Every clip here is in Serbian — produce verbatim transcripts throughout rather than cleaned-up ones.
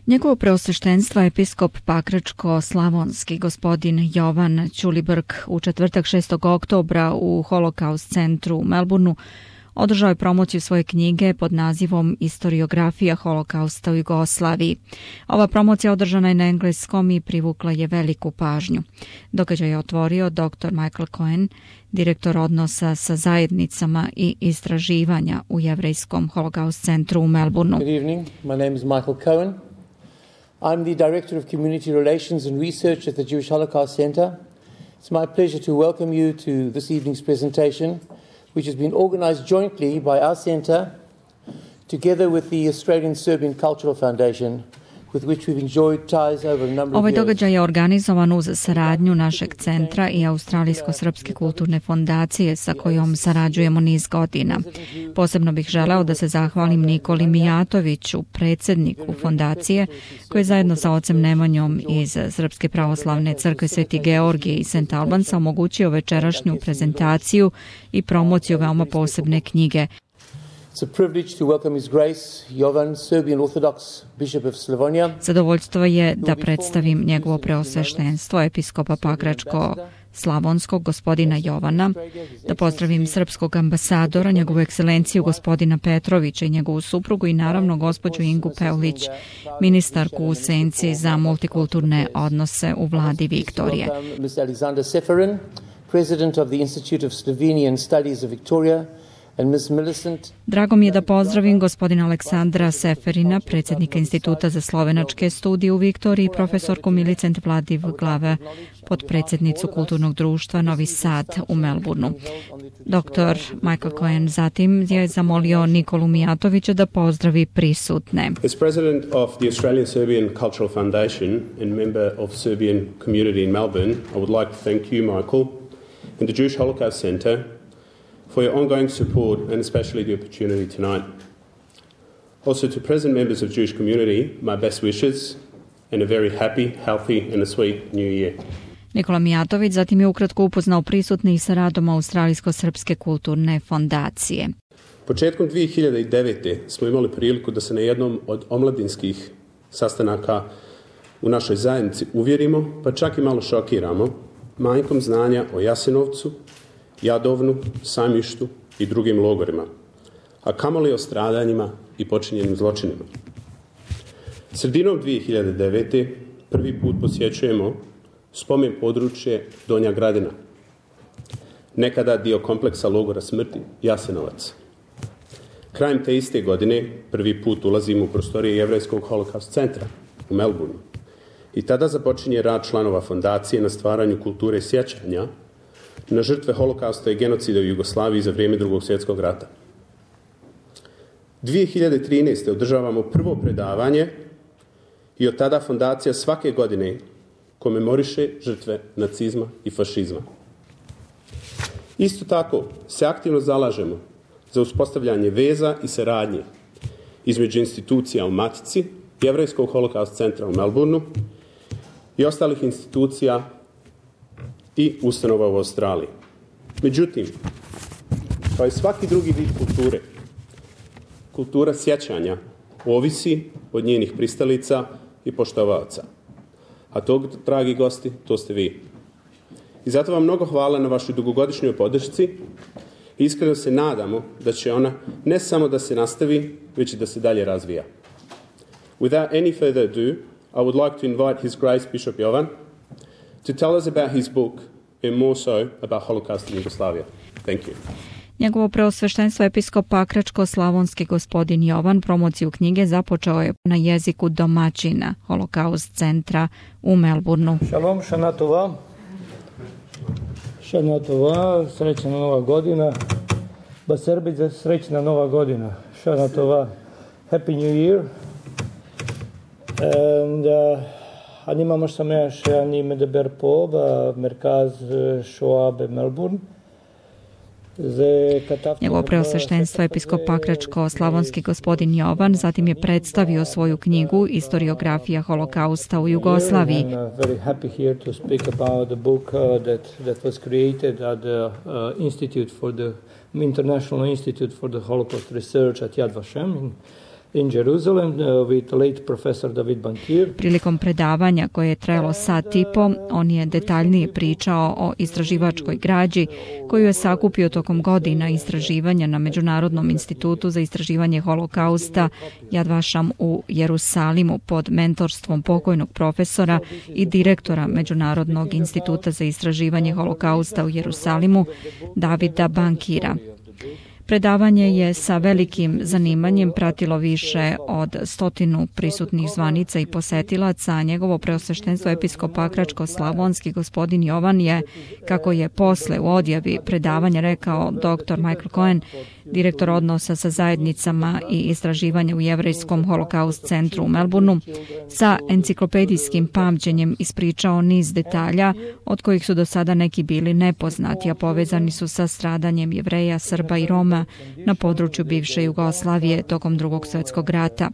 Njegovo preosveštenstvo episkop Pakračko-slavonski gospodin Jovan Ćulibrk u četvrtak šestog oktobra u Holokaust centru u Melbourneu održao je promociju svoje knjige pod nazivom Istoriografija holokausta u Jugoslaviji. Ova promocija održana je na engleskom i privukla je veliku pažnju. Događaj je otvorio doktor Michael Cohen, direktor odnosa sa zajednicama i istraživanja u Jevrejskom holokaust centru u Melbourneu. Good evening. My name is Michael Cohen. I'm the Director of Community Relations and Research at the Jewish Holocaust Center. It's my pleasure to welcome you to this evening's presentation, which has been organized jointly by our center together with the Australian Serbian Cultural Foundation, with which we've enjoyed ties over a number of years. Ovaj događaj je organizovan uz saradnju našeg centra i Australijsko-srpske kulturne fondacije sa kojom sarađujemo niz godina. Posebno bih želeo da se zahvalim Nikoli Mijatoviću, predsjedniku fondacije, koji je zajedno sa ocem Nemanjom iz Srpske pravoslavne crkve Sveti Georgije i Saint Albansa omogućio večerašnju prezentaciju i promociju veoma posebne knjige. It's a privilege to welcome His Grace Jovan, Serbian Orthodox Bishop of Slavonia. Zadovoljstvo je da predstavim njegovo preosveštenstvo episkopa Pakračko-slavonskog gospodina Jovana, da pozdravim srpskog ambasadora, njegovu ekscelenciju gospodina Petrovića i njegovu suprugu i naravno gospođu Ingu Peulić, ministarku u senci za multikulturne odnose u vladi Viktorije. Miz Alexander Seferin, President of the Institute of Slovenian Studies of Victoria. Drago mi je da pozdravim gospodina Aleksandra Seferina, predsjednika Instituta za slovenačke studije u Viktoriji, profesorku Milicent Vladiv Glave, podpredsjednicu Kulturnog društva Novi Sad u Melbourneu. doktor Michael Cohen zatim je zamolio Nikolu Mijatovića da pozdravi prisutne. As president of the Australian Serbian Cultural Foundation and member of Serbian community in Melbourne, I would like to thank you, Michael, and the Jewish Holocaust Center for your ongoing support and especially the opportunity tonight. Also to present members of Jewish community, my best wishes and a very happy, healthy and a sweet new year. Nikola Mijatović zatim je ukratko upoznao prisutne i sa radom Australijsko-srpske kulturne fondacije. Početkom dvije hiljade devete. smo imali priliku da se na jednom od omladinskih sastanaka u našoj zajednici uvjerimo, pa čak i malo šokiramo manjkom znanja o Jasenovcu, Jadovnu, Sajmištu i drugim logorima, a kamoli o stradanjima i počinjenim zločinima. Sredinom dvije hiljade devete. prvi put posjećujemo spomen područje Donja Gradina, nekada dio kompleksa logora smrti Jasenovac. Krajem te iste godine prvi put ulazimo u prostorije Jevrejskog holokaust centra u Melbourneu i tada započinje rad članova fondacije na stvaranju kulture sjećanja na žrtve holokausta i genocida u Jugoslaviji za vrijeme Drugog svjetskog rata. dvije hiljade trinaeste. održavamo prvo predavanje i od tada fondacija svake godine komemoriše žrtve nacizma i fašizma. Isto tako se aktivno zalažemo za uspostavljanje veza i saradnje između institucija u Matici, Jevrejskog holokaust centra u Melbourneu i ostalih institucija i ustanova u Australiji. Međutim, kao i svaki drugi vid kulture, kultura sjećanja ovisi od njenih pristalica i poštovaoca. A to, dragi gosti, to ste vi. I zato vam mnogo hvala na vašoj dugogodišnjoj podršci. Iskreno se nadamo da će ona ne samo da se nastavi, već i da se dalje razvija. Without any further ado, I would like to invite His Grace Bishop Jovan to tell us about his book and more so about Holocaust in Yugoslavia. Thank you. Njegovo preosveštenstvo episkop Pakračko-slavonski gospodin Jovan promociju knjige započeo je na jeziku domaćina Holokaust centra u Melbourneu. Šalom, šana tova. Šana tova, srećna nova godina. Ba Srbice, srećna nova godina. Šana tova, Happy New Year. And uh, אני ממש שמח שאני מדבר פה במרכז שואה במלבורן. Njegovo preosveštenstvo episkop Pakračko-slavonski gospodin Jovan zatim je predstavio svoju knjigu Istoriografija holokausta u Jugoslaviji. International Institute for the Holocaust Research at Yad Vashem in in Jerusalem uh, with late professor David Bankir. Prilikom predavanja koje je trajalo sat i po, on je detaljnije pričao o istraživačkoj građi koju je sakupio tokom godina istraživanja na Međunarodnom institutu za istraživanje holokausta Yad Vashem u Jerusalimu pod mentorstvom pokojnog profesora i direktora Međunarodnog instituta za istraživanje holokausta u Jerusalimu Davida Bankira. Predavanje je sa velikim zanimanjem pratilo više od stotinu prisutnih zvanica i posetilaca, a njegovo preosveštenstvo episkop Pakračko-Slavonski gospodin Jovan je, kako je posle u odjavi predavanja rekao doktor Michael Cohen, direktor odnosa sa zajednicama i istraživanja u Jevrejskom holokaust centru u Melbourneu, sa enciklopedijskim pamćenjem ispričao niz detalja, od kojih su do sada neki bili nepoznati, a povezani su sa stradanjem Jevreja, Srba i Roma na području bivše Jugoslavije tokom Drugog svjetskog rata,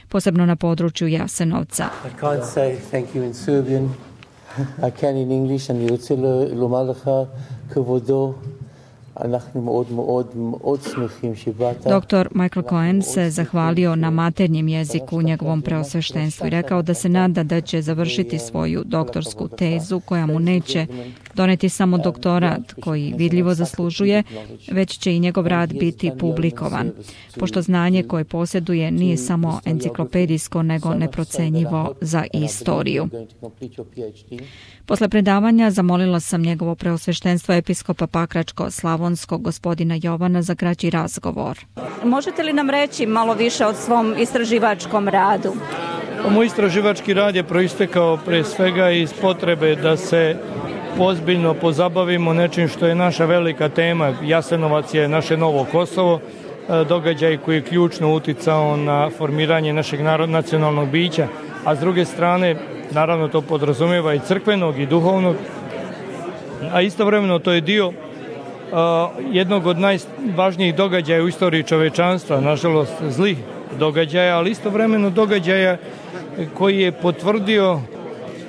posebno na području Jasenovca. I can't say thank you in Serbian. I can in English and Yutzilo Lomalacha Kvodo. Doktor Michael Cohen se zahvalio na maternjem jeziku njegovom preosveštenstvu i rekao da se nada da će završiti svoju doktorsku tezu koja mu neće doneti samo doktorat koji vidljivo zaslužuje, već će i njegov rad biti publikovan, pošto znanje koje posjeduje nije samo enciklopedijsko nego neprocenjivo za istoriju. Posle predavanja zamolila sam njegovo preosveštenstvo episkopa Pakračko-Slavonskog gospodina Jovana za kraći razgovor. Možete li nam reći malo više o svom istraživačkom radu? Moj istraživački rad je proistekao pre svega iz potrebe da se ozbiljno pozabavimo nečim što je naša velika tema. Jasenovac je naše novo Kosovo, događaj koji je ključno uticao na formiranje našeg narod, nacionalnog bića, a s druge strane, naravno to podrazumijeva i crkvenog i duhovnog, a istovremeno to je dio uh, jednog od najvažnijih događaja u istoriji čovečanstva, nažalost zlih događaja, ali istovremeno događaja koji je potvrdio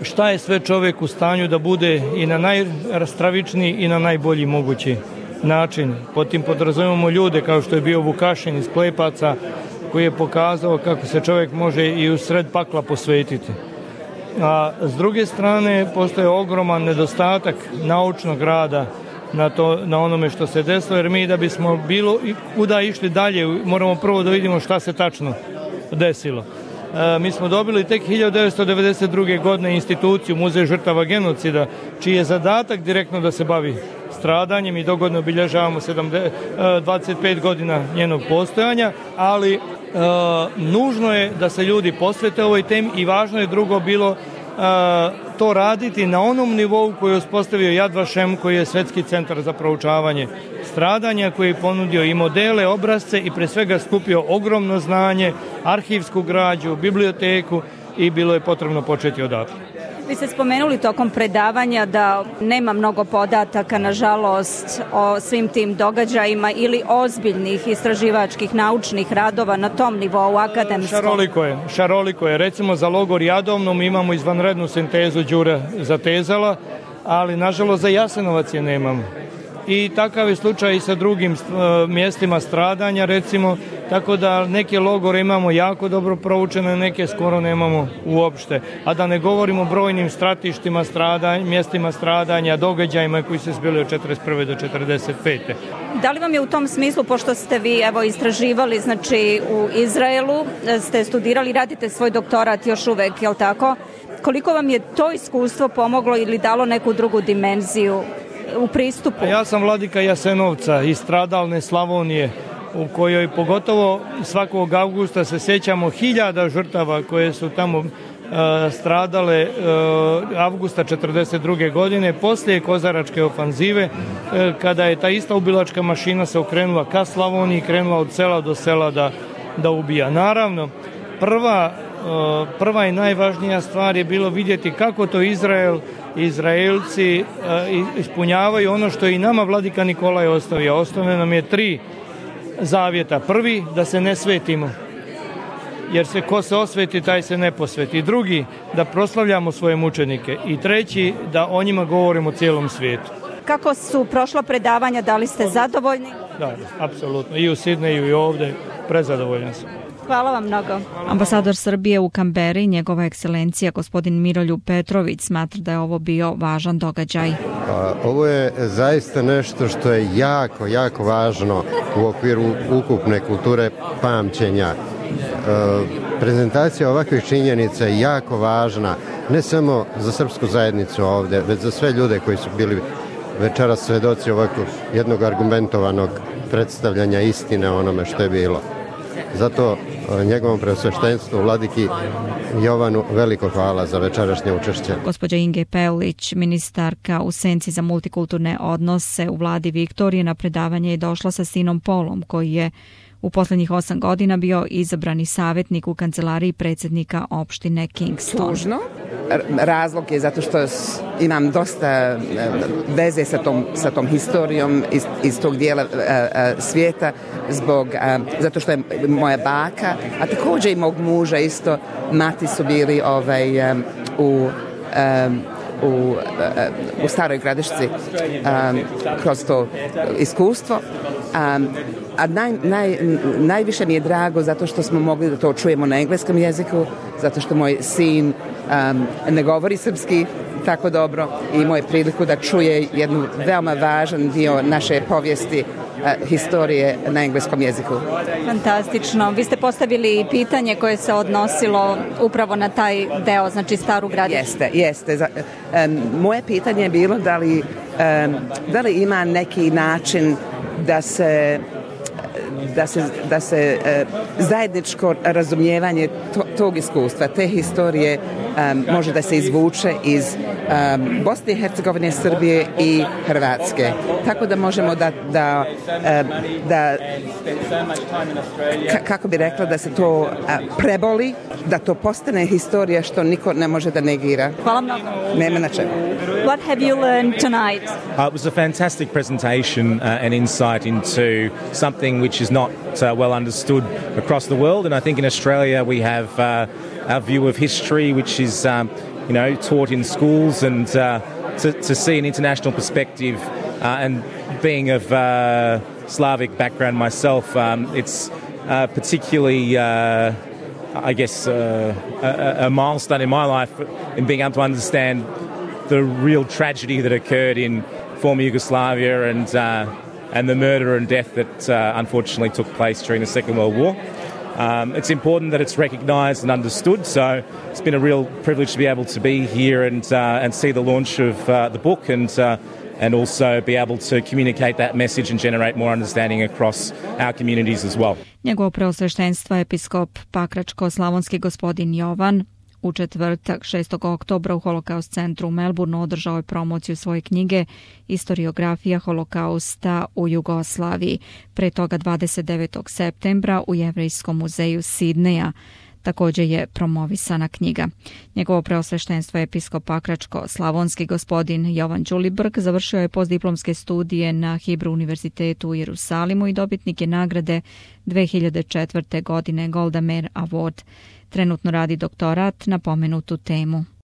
šta je sve čovjek u stanju da bude i na najstravičniji i na najbolji mogući način. Pod tim podrazumijemo ljude kao što je bio Vukašin iz Klepaca, koji je pokazao kako se čovjek može i u sred pakla posvetiti. A s druge strane, postoje ogroman nedostatak naučnog rada na, to, na onome što se desilo, jer mi da bismo bilo kuda išli dalje, moramo prvo da vidimo šta se tačno desilo. E, mi smo dobili tek hiljadu devetsto devedeset druge. godine instituciju Muzej žrtava genocida, čiji je zadatak direktno da se bavi stradanjem i dogodno obilježavamo dvadeset pet godina njenog postojanja, ali e, nužno je da se ljudi posvete ovoj temi i važno je drugo bilo e, to raditi na onom nivou koji je uspostavio Yad Vashem, koji je Svjetski centar za proučavanje stradanja, koji je ponudio i modele, obrazce i pre svega skupio ogromno znanje, arhivsku građu, biblioteku i bilo je potrebno početi odatle. Vi ste spomenuli tokom predavanja da nema mnogo podataka, nažalost, o svim tim događajima ili ozbiljnih istraživačkih naučnih radova na tom nivou akademskom. Šaroliko je, šaroliko je. Recimo za logor Jadovno mi imamo izvanrednu sintezu Đure Zatezala, ali nažalost za Jasenovac je nemamo. I takav je slučaj i sa drugim uh, mjestima stradanja, recimo, tako da neke logore imamo jako dobro proučene, neke skoro nemamo uopšte. A da ne govorimo o brojnim stratištima, stradanja, mjestima stradanja, događajima koji se zbili od četrdeset prve do četrdeset pete. Da li vam je u tom smislu, pošto ste vi evo istraživali, znači u Izraelu, ste studirali, radite svoj doktorat još uvek, je li tako? Koliko vam je to iskustvo pomoglo ili dalo neku drugu dimenziju u pristupu? Ja sam vladika Jasenovca iz stradalne Slavonije, u kojoj pogotovo svakog avgusta se sjećamo hiljada žrtava koje su tamo uh, stradale uh, avgusta četrdeset druge. godine, poslije Kozaračke ofanzive, uh, kada je ta ista ubilačka mašina se okrenula ka Slavoniji, krenula od sela do sela da, da ubija. Naravno, prva, uh, prva i najvažnija stvar je bilo vidjeti kako to Izrael Izraelci uh, ispunjavaju ono što je i nama vladika Nikolaj ostavio. Ostavio nam je tri zavjeta. Prvi, da se ne svetimo, jer se ko se osveti, taj se ne posveti. Drugi, da proslavljamo svoje mučenike. I treći, da o njima govorimo cijelom svijetu. Kako su prošla predavanja, da li ste zadovoljni? Da, apsolutno. I u Sidneju i ovdje, prezadovoljan sam. Hvala vam mnogo. Ambasador Srbije u Kamberi, njegova ekscelencija gospodin Miroljub Petrović, smatra da je ovo bio važan događaj. Ovo je zaista nešto što je jako, jako važno u okviru ukupne kulture pamćenja. Prezentacija ovakvih činjenica je jako važna, ne samo za srpsku zajednicu ovde, već za sve ljude koji su bili večeras svedoci ovakvog jednog argumentovanog predstavljanja istine o onome što je bilo. Zato njegovom preosveštenstvu vladiki Jovanu veliko hvala za večerašnje učešće. Gospođa Inge Peulić, ministarka u senci za multikulturne odnose u vladi Viktorije, na predavanje je došla sa sinom Polom, koji je u poslednjih osam godina bio izabrani savjetnik u kancelariji predsjednika opštine Kingston. Tužno. Razlog je zato što imam dosta veze sa tom, sa tom historijom iz, iz tog dijela a, a, svijeta, zbog, a, zato što je moja baka, a također i mog muža isto, mati su bili ovaj, a, u... A, U, u Staroj Gradišci um, kroz to iskustvo. Um, a naj, naj, najviše mi je drago zato što smo mogli da to čujemo na engleskom jeziku, zato što moj sin um, ne govori srpski tako dobro i imao je priliku da čuje jednu veoma važan dio naše povijesti, uh, historije na engleskom jeziku. Fantastično. Vi ste postavili pitanje koje se odnosilo upravo na taj deo, znači Staru Gradišću. Jeste, jeste. Um, moje pitanje je bilo da li, um, da li ima neki način da se da se, da se uh, zajedničko razumijevanje to, tog iskustva, te historije um, može da se izvuče iz um, Bosne i Hercegovine, Srbije i Hrvatske. Tako da možemo da, da, um, da ka, kako bi rekla, da se to uh, preboli, da to postane historija što niko ne može da negira. Hvala mnogo. Nema na čemu. What have you learned tonight? Uh, it was a fantastic presentation uh, and insight into something which is not uh, well understood across the world, and I think in Australia we have uh, our view of history, which is um, you know taught in schools, and uh, to, to see an international perspective, uh, and being of uh, Slavic background myself, um, it's uh, particularly uh, I guess uh, a, a milestone in my life in being able to understand the real tragedy that occurred in former Yugoslavia, and uh, and the murder and death that uh, unfortunately took place during the Second World War. Um, it's important that it's recognised and understood, so it's been a real privilege to be able to be here and uh, and see the launch of uh, the book, and uh, and also be able to communicate that message and generate more understanding across our communities as well. Njegovo preosveštenstvo episkop Pakračko-slavonski gospodin Jovan u četvrtak šestog oktobra u Holokaust centru u Melbourneu održao je promociju svoje knjige Istoriografija holokausta u Jugoslaviji. Pre toga dvadeset devetog septembra u Jevrejskom muzeju Sidneja također je promovisana knjiga. Njegovo preosveštenstvo episkop Pakračko-slavonski gospodin Jovan Ćulibrk završio je postdiplomske studije na Hibru univerzitetu u Jerusalimu i dobitnik je nagrade dve hiljade četvrte. godine Golda Meir Award. Trenutno radi doktorat na pomenutu temu.